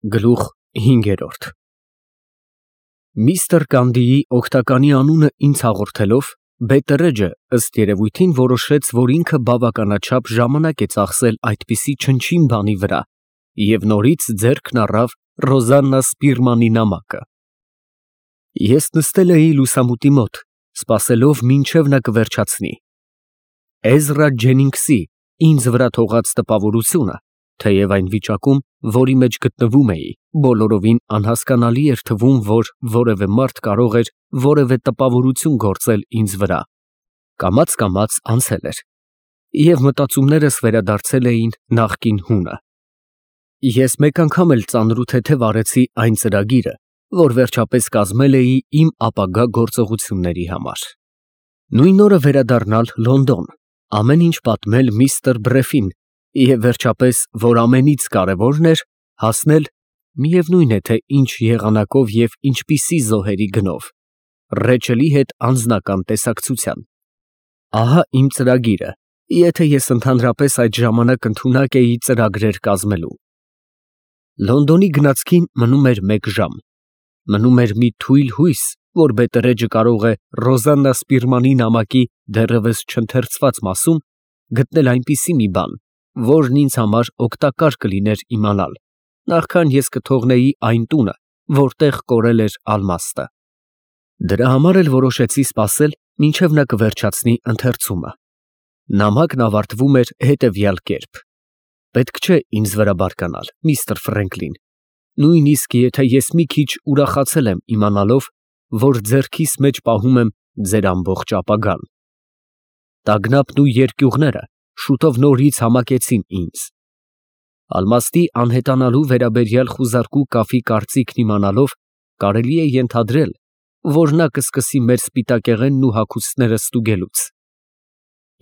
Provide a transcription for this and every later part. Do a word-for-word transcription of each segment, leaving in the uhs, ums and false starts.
Գլուխ հինգերորդ Միստր Կանդիի օգտականի անունը ինձ հաղորդելով, Բետտերեջը, ըստ երևույթին, որոշեց, որ ինքը բավականաչափ ժամանակ է ծախսել այդպիսի չնչին բանի վրա և նորից ձեռքն առավ Ռոզալնա Սպիրմանի նամակը։ Ես նստել էի լուսամուտի մոտ, սպասելով մինչև նա կվերջացնի։ Էզրա Ջենինգսի ինձ վրա թողած տպավորությունը, թեև այն վիճակում, որի մեջ գտնվում էի, բոլորովին անհասկանալի էր թվում, որ որևէ մարդ կարող էր որևէ տպավորություն գործել ինձ վրա, կամաց֊կամաց անցել էր, և մտածումներս վերադարձել էին նախկին հունը։ Ես մեկ անգամ էլ ծանր ու թեթև արեցի այն ծրագիրը, որ վերջապես կազմել էի իմ ապագա գործողությունների համար։ Նույն օրը վերադառնալ Լոնդոն, ամեն ինչ պատմել միստր Բրեֆին և վերջապես, որ ամենից կարևորն էր, հասնել, միևնույն է, թե ինչ եղանակով և ինչպիսի զոհերի գնով, Ռեչելի հետ անձնական տեսակցության։ Ահա իմ ծրագիրը, եթե ես ընդհանրապես այդ ժամանակ ընդունակ էի ծրագրեր կազմելու։ Լոնդոնի գնացքին մնում էր մեկ ժամ։ Մնում էր մի թույլ հույս, որ Բետտերեջը կարող է Ռոզալնա Սպիրմանի նամակի դեռևս չընթերցված մասում գտնել այնպիսի մի բան, որն ինձ համար օգտակար կլիներ իմանալ, նախքան ես կթողնեի այն տունը, որտեղ կորել էր ալմաստը։ Դրա համար էլ որոշեցի սպասել, մինչև նա կվերջացնի ընթերցումը։ Նամակն ավարտվում էր հետևյալ կերպ. «Պետք չէ ինձ վրա բարկանալ, միստր Ֆրենկլին, նույնիսկ եթե ես մի քիչ ուրախացել եմ իմանալով, որ ձեռքիս մեջ պահում եմ ձեր ամբողջ ապագան։ Տագնապն ու երկյուղները շուտով նորից համակեցին ինձ։ Ալմաստի անհետանալու վերաբերյալ խուզարկու կաֆի կարծիքն իմանալով, կարելի է ենթադրել, որ նա կսկսի մեր սպիտակեղենն ու հագուստները ստուգելուց։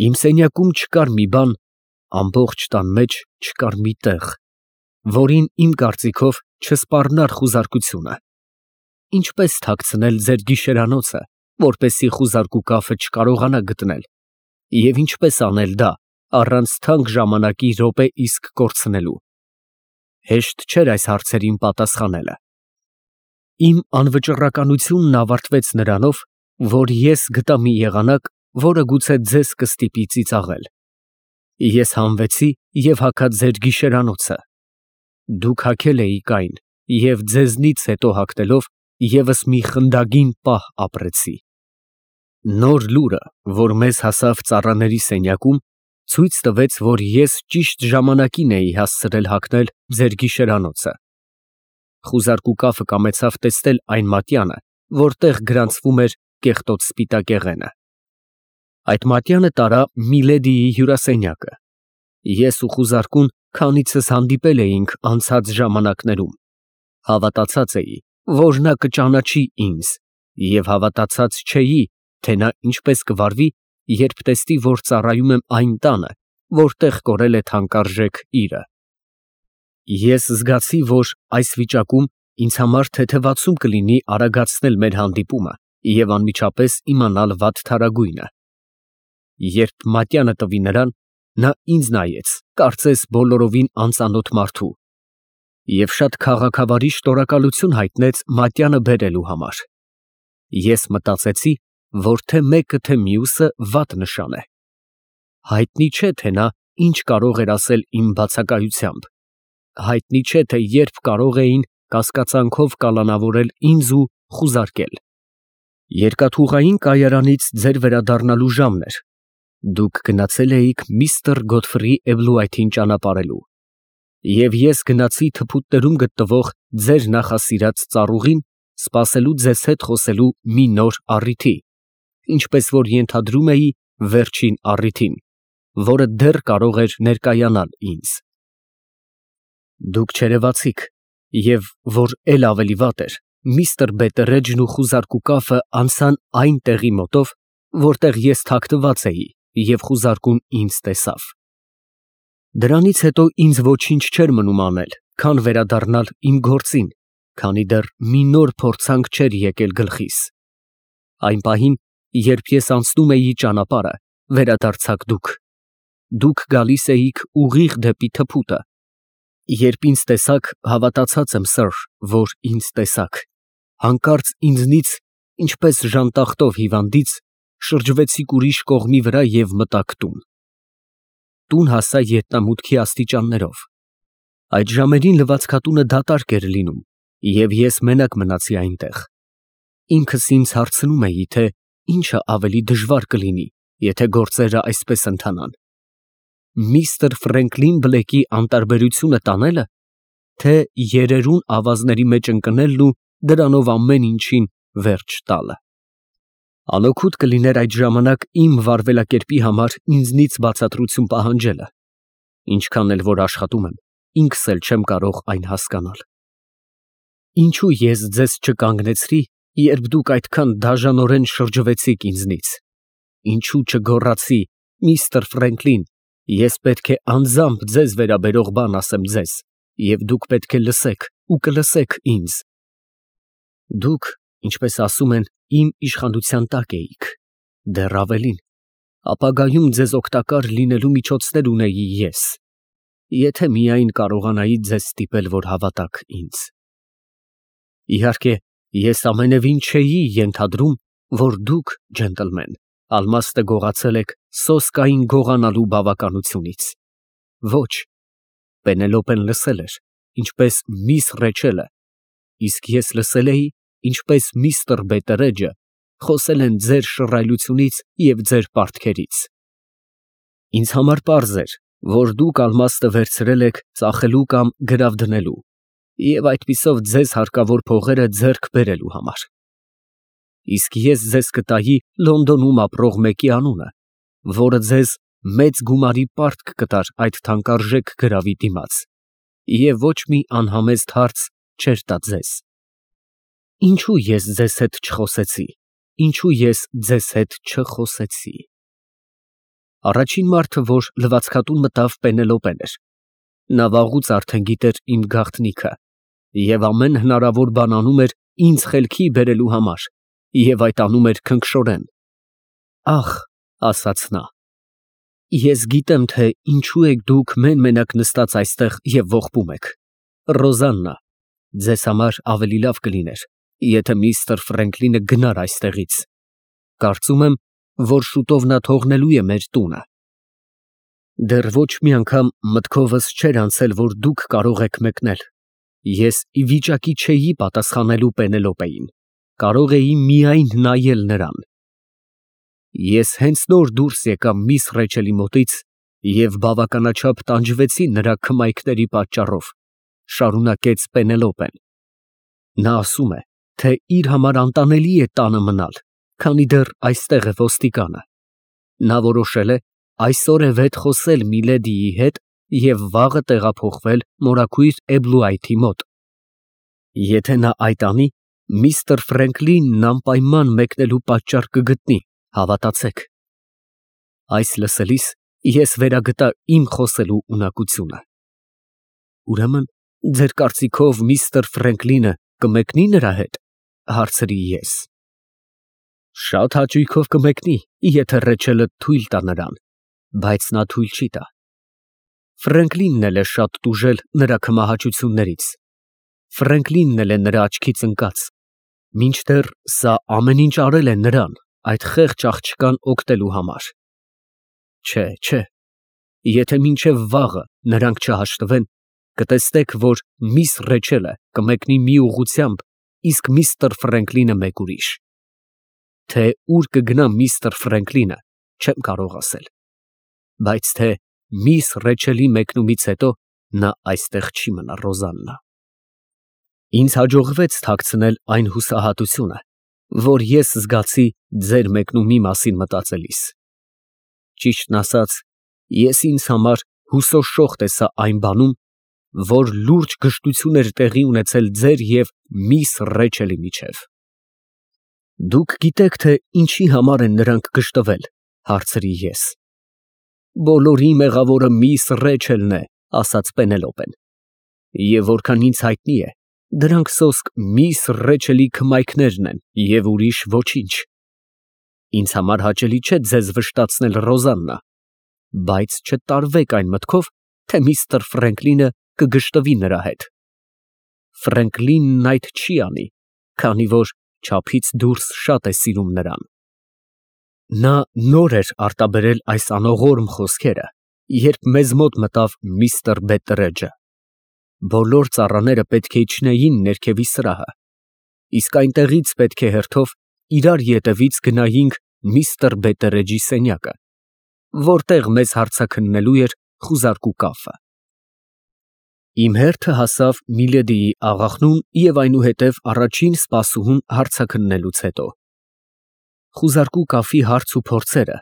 Իմ սենյակում չկար մի բան, ամբողջ տան մեջ չկար մի տեղ, որին իմ կարծիքով չսպառնար խուզարկությունը։ Ինչպե՞ս թաքցնել ձեր գիշերանոցը, որպեսզի խուզարկու կաֆը չկարողանա գտնել, և ինչպե՞ս անել դա առանց թանկ ժամանակի րոպե իսկ կորցնելու։ Հեշտ չէր այս հարցերին պատասխանելը։ Իմ անվճռականությունն ավարտվեց նրանով, որ ես գտա մի եղանակ, որը գուցե ձեզ կստիպի ծիծաղել։ Ես հանվեցի և հագա ձեր գիշերանոցը։ Դուք հագել էիք այն, և ձեզնից հետո հագնելով, ևս մի խնդագին պահ ապրեցի։ Նոր լուրը, որ մեզ հասավ ծառաների սենյակում, ցույց տվեց, որ ես ճիշտ ժամանակին էի հասցրել հագնել ձեր գիշերանոցը։ Խուզարկու կաֆը կամեցավ տեսնել այն մատյանը, որտեղ գրանցվում էր կեղտոտ սպիտակեղենը։ Այդ մատյանը տարա միլեդիի հյուրասենյակը։ Ես ու խուզարկուն քանիցս հանդիպել էինք անցած ժամանակներում։ Հավատացած էի, որ նա կճանաչի ինձ, և հավատացած չէի, թե նա ինչպես կվարվի, երբ տեսնի, որ ծառայում եմ այն տանը, որտեղ կորել է թանկարժեք իրը։ Ես զգացի, որ այս վիճակում ինձ համար թեթևացում կլինի արագացնել մեր հանդիպումը և անմիջապես իմանալ վատթարագույնը։ Երբ մատյանը տվի նրան, նա ինձ նայեց, կարծես բոլորովին անծանոթ մարդու, և շատ քաղաքավարի շնորհակալություն հայտնեց մատյանը բերելու համար։ Ես մտածեցի, որ թե մեկը, թե մյուսը վատ նշան է։ Հայտնի չէ, թե նա ինչ կարող էր ասել իմ բացակայությամբ։ Հայտնի չէ, թե երբ կարող էին կասկածանքով կալանավորել ինձ ու խուզարկել։ Երկաթուղային կայարանից ձեր վերադառնալու ժամն էր։ Դուք գնացել էիք միստր Գոթֆրի Էբլուայթին ճանապարհելու, և ես գնացի թփուտներում գտնվող ձեր նախասիրած ծառուղին, սպասելու ձեզ հետ խոսելու մի նոր առիթի, ինչպես որ ենթադրում էի, վերջին առիթին, որը դեռ կարող էր ներկայանալ ինձ։ Դուք չերևացիք, և, որ էլ ավելի վատ էր, միստր Բետտերեջն ու խուզարկու կաֆը անցան այն տեղի մոտով, որտեղ ես թաքնված էի, և խուզարկուն ինձ տեսավ։ Դրանից հետո ինձ ոչինչ չէր մնում անել, քան վերադառնալ իմ գործին, քանի դեռ մի նոր փորձանք չէր եկել գլխիս։ Այն պահին, երբ ես անցնում էի ճանապարհը, վերադարձաք դուք։ Դուք գալիս էիք ուղիղ դեպի թփուտը, Երբ ինձ տեսաք, հավատացած եմ, սըր, որ ինձ տեսաք, հանկարծ ինձնից, ինչպես ժանտախտով հիվանդից, շրջվեցիք ուրիշ կողմի վրա և մտաք տուն։ Տուն հասա ետնամուտքի աստիճաններով։ Այդ ժամերին լվացքատունը դատարկ էր լինում, և ես մենակ մնացի այնտեղ։ Ինքս ինձ հարցնում էի, թե ինչը ավելի դժվար կլինի, եթե գործերը այսպես ընթանան. միստր Ֆրենկլին Բլեքի անտարբերությունը տանելը, թե երերուն ավազների մեջ ընկնելն ու դրանով ամեն ինչին վերջ տալը։ Անօգուտ կլիներ այդ ժամանակ իմ վարվելակերպի համար ինձնից բացատրություն պահանջելը, ինչքան էլ որ աշխատում եմ, ինքս էլ չեմ կարող այն հասկանալ։ Ինչո՞ւ ես ձեզ չկանգնեցրի, երբ դուք այդքան դաժանորեն շրջվեցիք ինձնից։ Ինչո՞ւ չգոռացի. միստր Ֆրենկլին, ես պետք է անձամբ ձեզ վերաբերող բան ասեմ ձեզ, և դուք պետք է լսեք ու կլսեք ինձ։ Դուք, ինչպես ասում են, իմ իշխանության տակ էիք, դեռ ավելին, ապագայում ձեզ օգտակար լինելու միջոցներ ունեի ես, եթե միայն կարողանայի ձեզ ստիպել, որ հավատաք ինձ։ Իհարկե, ես ամենևին չէի ենթադրում, որ դուք, ջենտլմեն, ալմաստը գողացել եք սոսկային գողանալու բավականությունից։ Ոչ, Պենելոպեն լսել էր, ինչպես միս Ռեչելը, իսկ ես լսել էի, ինչպես միստր Բետերեջը խոսել են ձեր շռայլությունից և ձեր պարտքերից։ Ինձ համար պարզ էր, որ դուք ալմաստը վերցրել եք ծախելու կամ գրավ դնելու և այդպիսով ձեզ հարկավոր փողերը ձեռք բերելու համար։ Իսկ ես ձեզ կտայի Լոնդոնում ապրող մեկի անունը, որը ձեզ մեծ գումարի պարտք կտար այդ թանկարժեք գրավի դիմաց, և ոչ մի անհամեստ հարց չէր տա ձեզ։ Ինչո՞ւ ես ձեզ հետ չխոսեցի, ինչո՞ւ ես ձեզ հետ չխոսեցի։ Առաջին մարդը, որ լվացքատուն մտավ, Պենելոպեն էր։ Նա վաղուց արդեն գիտեր իմ գաղտնիքը և ամեն հնարավոր բան անում էր ինձ խելքի բերելու համար, և այդ անում էր քնքշորեն։ Ախ, ասաց նա, ես գիտեմ, թե ինչու եք դուք մեն֊մենակ նստած այստեղ և ողբում եք։ Ռոզաննա, ձեզ համար ավելի լավ կլիներ, եթե միստր Ֆրենկլինը գնար այստեղից։ Կարծում եմ, որ շուտով նա թողնելու է մեր տունը։ Դեռ ոչ մի անգամ մտքովս չէր անցել, որ դուք կարող եք մեկնել։ Ես ի վիճակի չէի պատասխանելու Պենելոպեին, կարող էի միայն նայել նրան։ Ես հենց նոր դուրս եկա միս Ռեչելի մոտից և բավականաչափ տանջվեցի նրա քմայքների պատճառով, շարունակեց Պենելոպեն։ Նա ասում է, թե իր համար անտանելի է տանը մնալ, քանի դեռ այստեղ է ոստիկանը։ Նա որոշել է այսօր է վետ խոսել միլեդիի հետ և վաղը տեղափոխվել մորաքույր Էբլուայթի մոտ։ Եթե նա այդ անի, միստր Ֆրենկլինն անպայման մեկնելու պատճառ կգտնի, հավատացեք։ Այս լսելիս ես վերագտա իմ խոսելու ունակությունը։ Ուրեմն, ձեր կարծիքով միստր Ֆրենկլինը կմեկնի նրա հետ, հարցրի ես։ Շատ հաճույքով կմեկնի, եթե Ռեչելը թույլ տա նրան, բայց նա թույլ չի տա։ Ֆրենկլինն էլ է շատ տուժել նրա քմահաճություններից, Ֆրենկլինն էլ է նրա աչքից ընկած, մինչդեռ սա ամեն ինչ արել է նրան, այդ խեղճ աղջկան օգնելու համար։ Չէ, չէ, եթե մինչև վաղը նրանք չհաշտվեն, կտեսնեք, որ միս Ռեչելը կմեկնի մի ուղղությամբ, իսկ միստր Ֆրենկլինը մեկ ուրիշ։ Թե ուր կգնա միստր Ֆրենկլինը, չեմ կարող ասել, բայց թե միս Ռեչելի մեկնումից հետո նա այստեղ չի մնա, Ռոզաննա։ Ինձ հաջողվեց թաքցնել այն հուսահատությունը, որ ես զգացի ձեր մեկնումի մասին մտածելիս։ Ճիշտն ասած, ես ինձ համար հուսոշոխ տեսա այն բանում, որ լուրջ գժտություն էր տեղի ունեցել ձեր և միս Ռեչելի միջև։ Դուք գիտեք, թե ինչի համար են նրանք գժտվել, հարցրի ես։ Բոլորի մեղավորը միս Ռեչելն է, ասաց Պենելոպեն, և որքան ինձ հայտնի է, դրանք սոսկ միս Ռեչելի քմայքներն են և ուրիշ ոչինչ։ Ինձ համար հաճելի չէ ձեզ վշտացնել, Ռոզաննա, բայց չտարվեք այն մտքով, թե միստր Ֆրենկլինը կգշտվի նրա հետ։ Ֆրենկլինն այդ չի անի, քանի որ չափից դուրս շատ է սիրում նրան։ Նա նոր էր արտաբերել այս անողորմ խոսքերը, երբ մեզ մոտ մտավ միստր Բետտերեջը։ Բոլոր ծառաները պետք է իջնեին ներքևի սրահը, իսկ այնտեղից պետք է հերթով իրար ետևից գնայինք միստր Բետտերեջի սենյակը, որտեղ մեզ հարցաքննելու էր խուզարկու կաֆը։ Իմ հերթը հասավ Միլեդիի աղախնուն և այնուհետև առաջին սպասուհուն հարցաքննելուց հետո։ Խուզարկու կաֆի հարց ու փորձերը,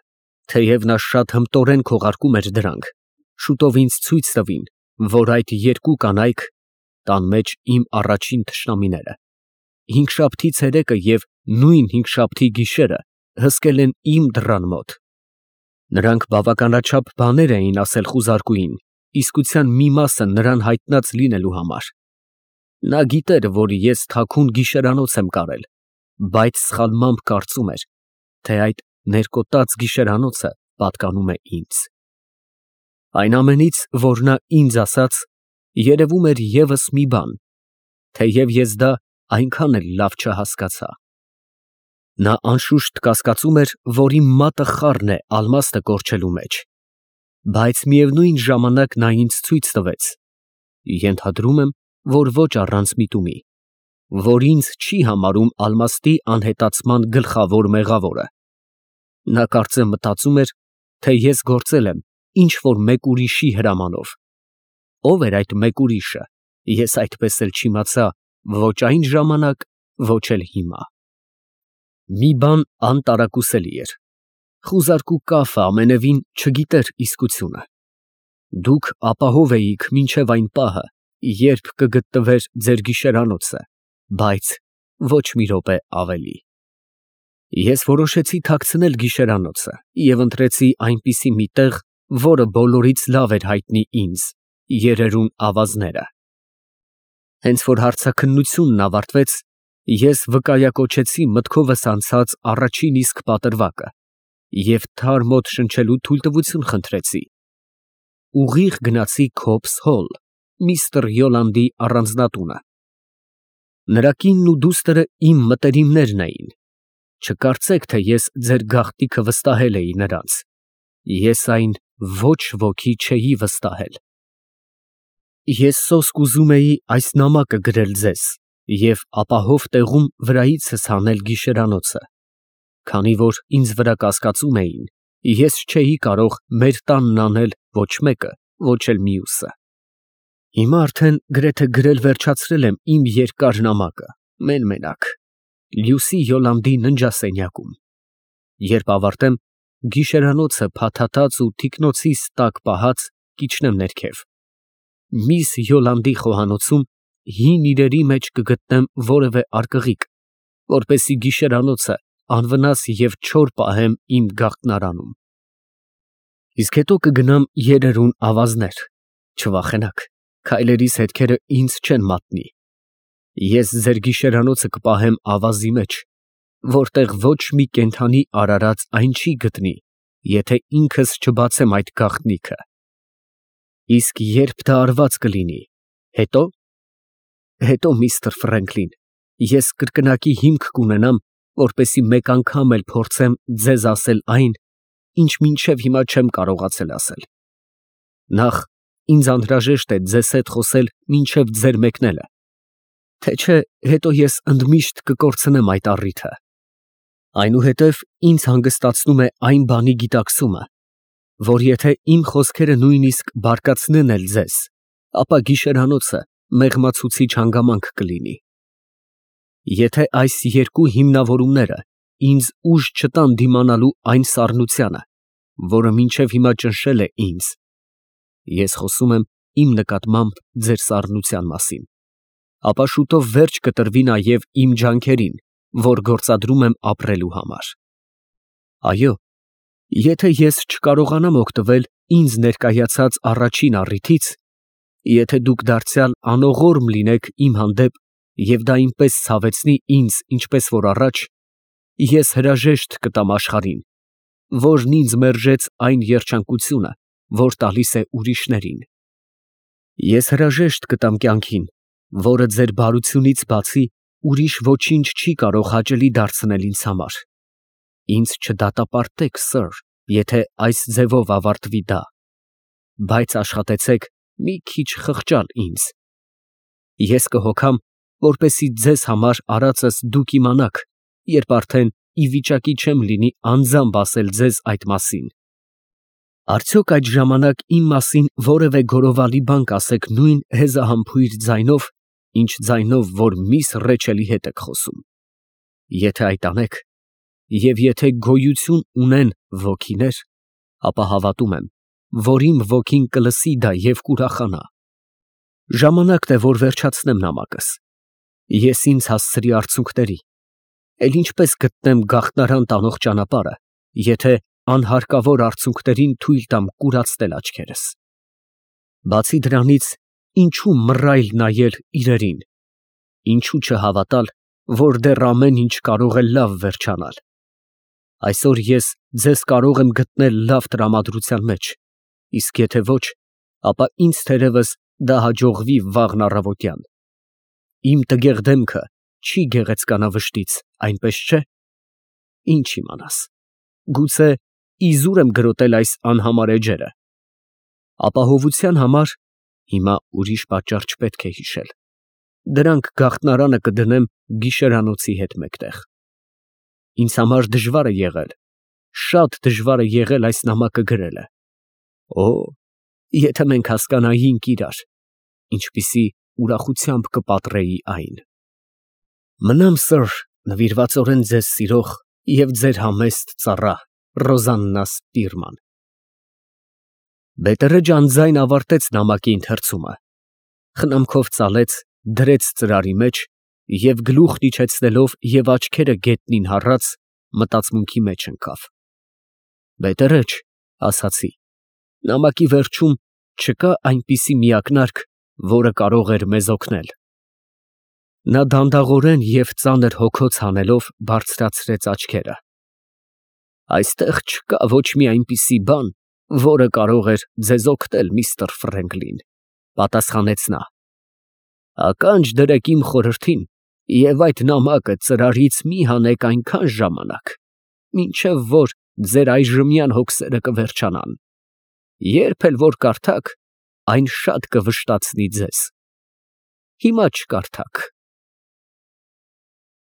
թեև նա շատ հմտորեն քողարկում էր դրանք, շուտով ինձ ցույց տվին, որ այդ երկու կանայք (տան մեջ իմ առաջին թշնամիները) հինգշաբթի ցերեկը և նույն հինգշաբթի գիշերը հսկել են իմ դռան մոտ։ Նրանք բավականաչափ բաներ էին ասել խուզարկուին, իսկության մի մասը նրան հայտնած լինելու համար։ Նա գիտեր, որ ես թաքուն գիշերանոց եմ կարել, բայց սխալմամբ կարծում էր, թե այդ ներկոտած գիշերանոցը պատկանում է ինձ։ Այն ամենից, որ նա ինձ ասաց, երևում էր ևս մի բան, թեև ես դա այնքան էլ լավ չհասկացա։ Նա անշուշտ կասկածում էր, որ իմ մատը խառն է ալմաստը կորչելու մեջ, բայց միևնույն ժամանակ նա ինձ ցույց տվեց (ենթադրում եմ, որ ոչ առանց միտումի), որ ինձ չի համարում ալմաստի անհետացման գլխավոր մեղավորը։ Նա կարծեմ մտածում էր, թե ես գործել եմ ինչ֊որ մեկ ուրիշի հրամանով։ Ով էր այդ մեկ ուրիշը, ես այդպես էլ չիմացա ոչ այն ժամանակ, ոչ էլ հիմա։ Մի բան անտարակուսելի էր. խուզարկու կաֆը ամենևին չգիտեր իսկությունը։ Դուք ապահով էիք մինչև այն պահը, երբ կգտնվեր ձեր գիշերանոցը, բայց ոչ մի րոպե ավելի։ Ես որոշեցի թաքցնել գիշերանոցը և ընտրեցի այնպիսի մի տեղ, որը բոլորից լավ էր հայտնի ինձ՝ երերուն ավազները։ Հենց որ հարցաքննությունն ավարտվեց, ես վկայակոչեցի մտքովս անցած առաջին իսկ պատրվակը և թար մոտ շնչելու թույլտվություն խնդրեցի։ Ուղիղ գնացի Քոբս Հոլ, միստր Յոլանդի առանձնատունը։ Նրա կինն ու դուստրը իմ մտերիմներն էին։ Չկարծեք, թե ես ձեր գաղտնիքը վստահել էի նրանց, ես այն ոչ ոքի չէի վստահել։ Ես սոսկ ուզում էի այս նամակը գրել ձեզ և ապահով տեղում վրայիցս հանել գիշերանոցը, քանի որ ինձ վրա կասկածում էին, ես չէի կարող մեր տանն անել ոչ մեկը, ոչ էլ մյուսը։ Հիմա արդեն գրեթե գրել վերջացրել եմ իմ երկար նամակը, մեն֊մենակ, Լյուսի Յոլանդի ննջասենյակում։ Երբ ավարտեմ, գիշերանոցը փաթաթած ու թիկնոցիս տակ պահած կիջնեմ ներքև։ Միս Յոլանդի խոհանոցում հին իրերի մեջ կգտնեմ որևէ արկղիկ, որպեսզի գիշերանոցը անվնաս և չոր պահեմ իմ գաղտնարանում։ Իսկ հետո կգնամ երերուն ավազներ, չվախենաք, քայլերիս հետքերը ինձ չեն մատնի։ Ես ձեր գիշերանոցը կպահեմ ավազի մեջ, որտեղ ոչ մի կենդանի արարած այն չի գտնի, եթե ինքս չբացեմ այդ գաղտնիքը։ Իսկ երբ դա արված կլինի, հետո… հետո, միստր Ֆրենկլին, ես կրկնակի հիմք կունենամ, որպեսզի մեկ անգամ էլ փորձեմ ձեզ ասել այն, ինչ մինչև հիմա չեմ կարողացել ասել։ Նախ, ինձ անհրաժեշտ է ձեզ հետ խոսել մինչև ձեր մեկնելը, թե չէ հետո ես ընդմիշտ կկորցնեմ այդ առիթը։ Այնուհետև ինձ հանգստացնում է այն բանի գիտակցումը, որ եթե իմ խոսքերը նույնիսկ բարկացնեն էլ ձեզ, ապա գիշերանոցը մեղմացուցիչ հանգամանք կլինի։ Եթե այս երկու հիմնավորումները ինձ ուժ չտան դիմանալու այն սառնությանը, որը մինչև հիմա ճնշել է ինձ (ես խոսում եմ իմ նկատմամբ ձեր սառնության մասին), ապա շուտով վերջ կտրվի նաև իմ ջանքերին, որ գործադրում եմ ապրելու համար։ Այո, եթե ես չկարողանամ օգտվել ինձ ներկայացած առաջին առիթից, եթե դուք դարձյալ անողորմ լինեք իմ հանդեպ և դա այնպես ցավեցնի ինձ, ինչպես որ առաջ, ես հրաժեշտ կտամ աշխարհին, որն ինձ մերժեց այն երջանկությունը, որ տալիս է ուրիշներին։ Ես հրաժեշտ կտամ կյանքին, որը ձեր բարությունից բացի ուրիշ ոչինչ չի կարող հաճելի դարձնել ինձ համար. ինձ չդատապարտեք, սըր, եթե այս ձևով ավարտվի դա, բայց աշխատեցեք մի քիչ խղճալ ինձ. ես կհոգամ, որպեսզի ձեզ համար արածս դուք իմանաք, երբ արդեն ի վիճակի չեմ լինի անձամբ ասել ձեզ այդ մասին. արդյոք այդ ժամանակ իմ մասին որևէ գորովալի բան կասեք նույն հեզահամբույր ձայնով, ինչ ձայնով, որ միս ռեչելի հետ եք խոսում. եթե այդ անեք, և եթե գոյություն ունեն ոգիներ, ապա հավատում եմ, որ իմ ոգին կլսի դա և կուրախանա. ժամանակն է, որ վերջացնեմ նամակս. ես ինձ հասցրի արցունքների, էլ ինչպես գտնեմ գաղտնարան տանող ճանապարհը, եթե անհարկավոր արցունքներին թույլ տամ կուրացնել աչքերս. բացի դրանից, ինչու մռայլ նայել իրերին, ինչու չհավատալ, որ դեռ ամեն ինչ կարող է լավ վերջանալ. այսօր ես ձեզ կարող եմ գտնել լավ տրամադրության մեջ, իսկ եթե ոչ, ապա ինձ թերևս դա հաջողվի վաղն առավոտյան. իմ տգեղ դեմքը չի գեղեցկանա վշտից, այնպես չէ՞, ինչ իմանաս, գուցե իզուր եմ գրոտել այս անհամար էջերը, ապահովության համար հիմա ուրիշ պատճառ չպետք է հիշել, դրանք գաղտնարանը կդնեմ գիշերանոցի հետ մեկտեղ. ինձ համար դժվար է եղել, շատ դժվար է եղել այս նամակը գրելը, օ, եթե մենք հասկանայինք իրար, ինչպիսի ուրախությամբ կպատրեի այն. մնամ սըր նվիրվածորեն ձեզ սիրող և ձեր համեստ ծառա Ռոզաննա Սպիրման։ Բետերեջը անձայն ավարտեց նամակի ընթերցումը, խնամքով ծալեց, դրեց ծրարի մեջ և գլուխն իջեցնելով և աչքերը գետնին հառած, մտածմունքի մեջ ընկավ։ Բետերեջ, ասացի, նամակի վերջում չկա այնպիսի մի ակնարկ, որը կարող էր մեզ օգնել։ Նա դանդաղորեն և ծանր հոգոց հանելով բարձրացրեց աչքերը։ Այստեղ չկա ոչ մի այնպիսի բան, որը կարող էր ձեզ օգնել, միստր Ֆրենկլին, պատասխանեց նա։ Ականջ դրեք իմ խորհրդին և այդ նամակը ծրարից մի հանեք այնքան ժամանակ, մինչև որ ձեր այժմյան հոգսերը կվերջանան, երբ էլ որ կարդաք, այն շատ կվշտացնի ձեզ։ Հիմա չկարդաք,